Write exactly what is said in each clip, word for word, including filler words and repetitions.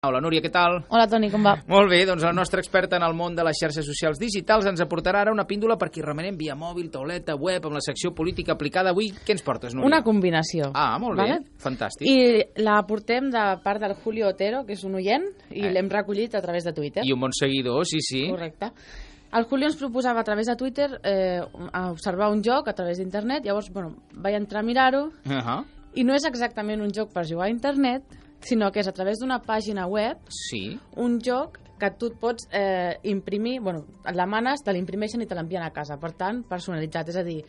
Hola, Núria, què tal? Hola, Toni, com va? Molt bé, doncs la nostra experta en el món de les xarxes socials digitals ens aportarà ara una píndola per qui remenem via mòbil, tauleta, web, amb la secció política aplicada avui. Què ens portes, Núria? Una combinació. Ah, molt bé, vale? Fantàstic. I la portem de part del Julio Otero, que és un oient, i Eh. l'hem recollit a través de Twitter. I un bon seguidor, sí, sí. Correcte. El Julio ens proposava a través de Twitter eh, observar un joc a través d'internet, llavors, bueno, vaig entrar a mirar-ho, Uh -huh. i no és exactament un joc per jugar a internet, sinó que és a través d'una pàgina web, Sí. un joc que tu et pots eh, imprimir, bueno, la manes, te l'imprimeixen i te l'envien a casa, per tant, personalitzat, és a dir,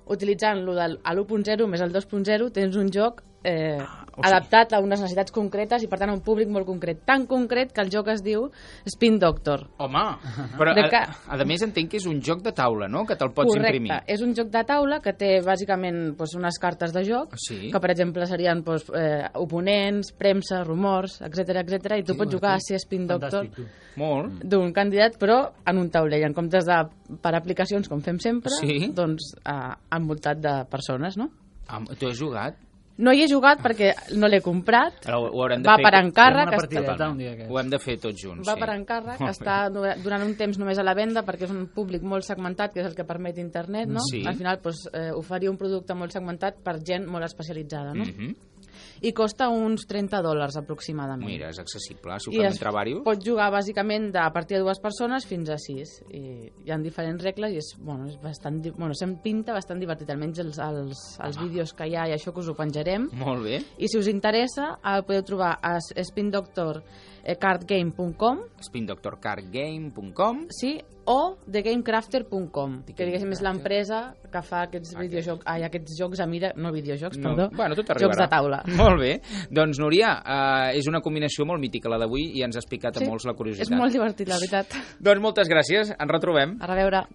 utilitzant lo del l'u punt zero més el dos punt zero tens un joc eh, Ah, o sigui- adaptat a unes necessitats concretes i per tant a un públic molt concret, tan concret que el joc es diu Spin Doctor. Home, però De a, ca- a més entenc que és un joc de taula, no?, que te'l pots Correcte, imprimir. és un joc de taula que té bàsicament doncs, unes cartes de joc, Sí. que per exemple serien doncs, eh, oponents, premsa, rumors, etc etc i tu Sí, pots jugar a sí. ser Spin Doctor Fantàstic, tu. Molt. d'un candidat, però en un taulell, en comptes de per aplicacions, com fem sempre, Sí. doncs eh, envoltat de persones, no? Ah, tu has jugat? No hi he jugat perquè no l'he comprat, Ara ho, ho haurem de va fer... per Fem encàrrec, una està, partideta un dia aquest. Ho hem de fer tots junts, va sí. per encàrrec, Molt bé. està du- durant un temps només a la venda perquè és un públic molt segmentat, que és el que permet internet, no? Sí. Al final, doncs, eh, oferir un producte molt segmentat per gent molt especialitzada, no? Mhm. I costa uns trenta dòlars aproximadament. Mira, és accessible, si ho I fem es entre diversos. pot jugar bàsicament de, a partir de dues persones fins a sis. I hi ha diferents regles i és, bueno, és bastant, di- bueno, se'm pinta bastant divertit, almenys els, els, els vídeos que hi ha i això que us ho penjarem. Molt bé. I si us interessa, el podeu trobar a spin doctor card game punt com, spin doctor card game punt com. sí, o the game crafter punt com, The que diguéssim és Gamecrafter. l'empresa que fa aquests Aquest. videojocs, ai, aquests jocs a mira, no videojocs, No, perdó, bueno, tot jocs arribarà. de taula. Molt bé. Doncs, Núria, eh, és una combinació molt mítica la d'avui i ens ha explicat a Sí, molts la curiositat. és molt divertit, la veritat. Doncs moltes gràcies, ens retrobem. A reveure.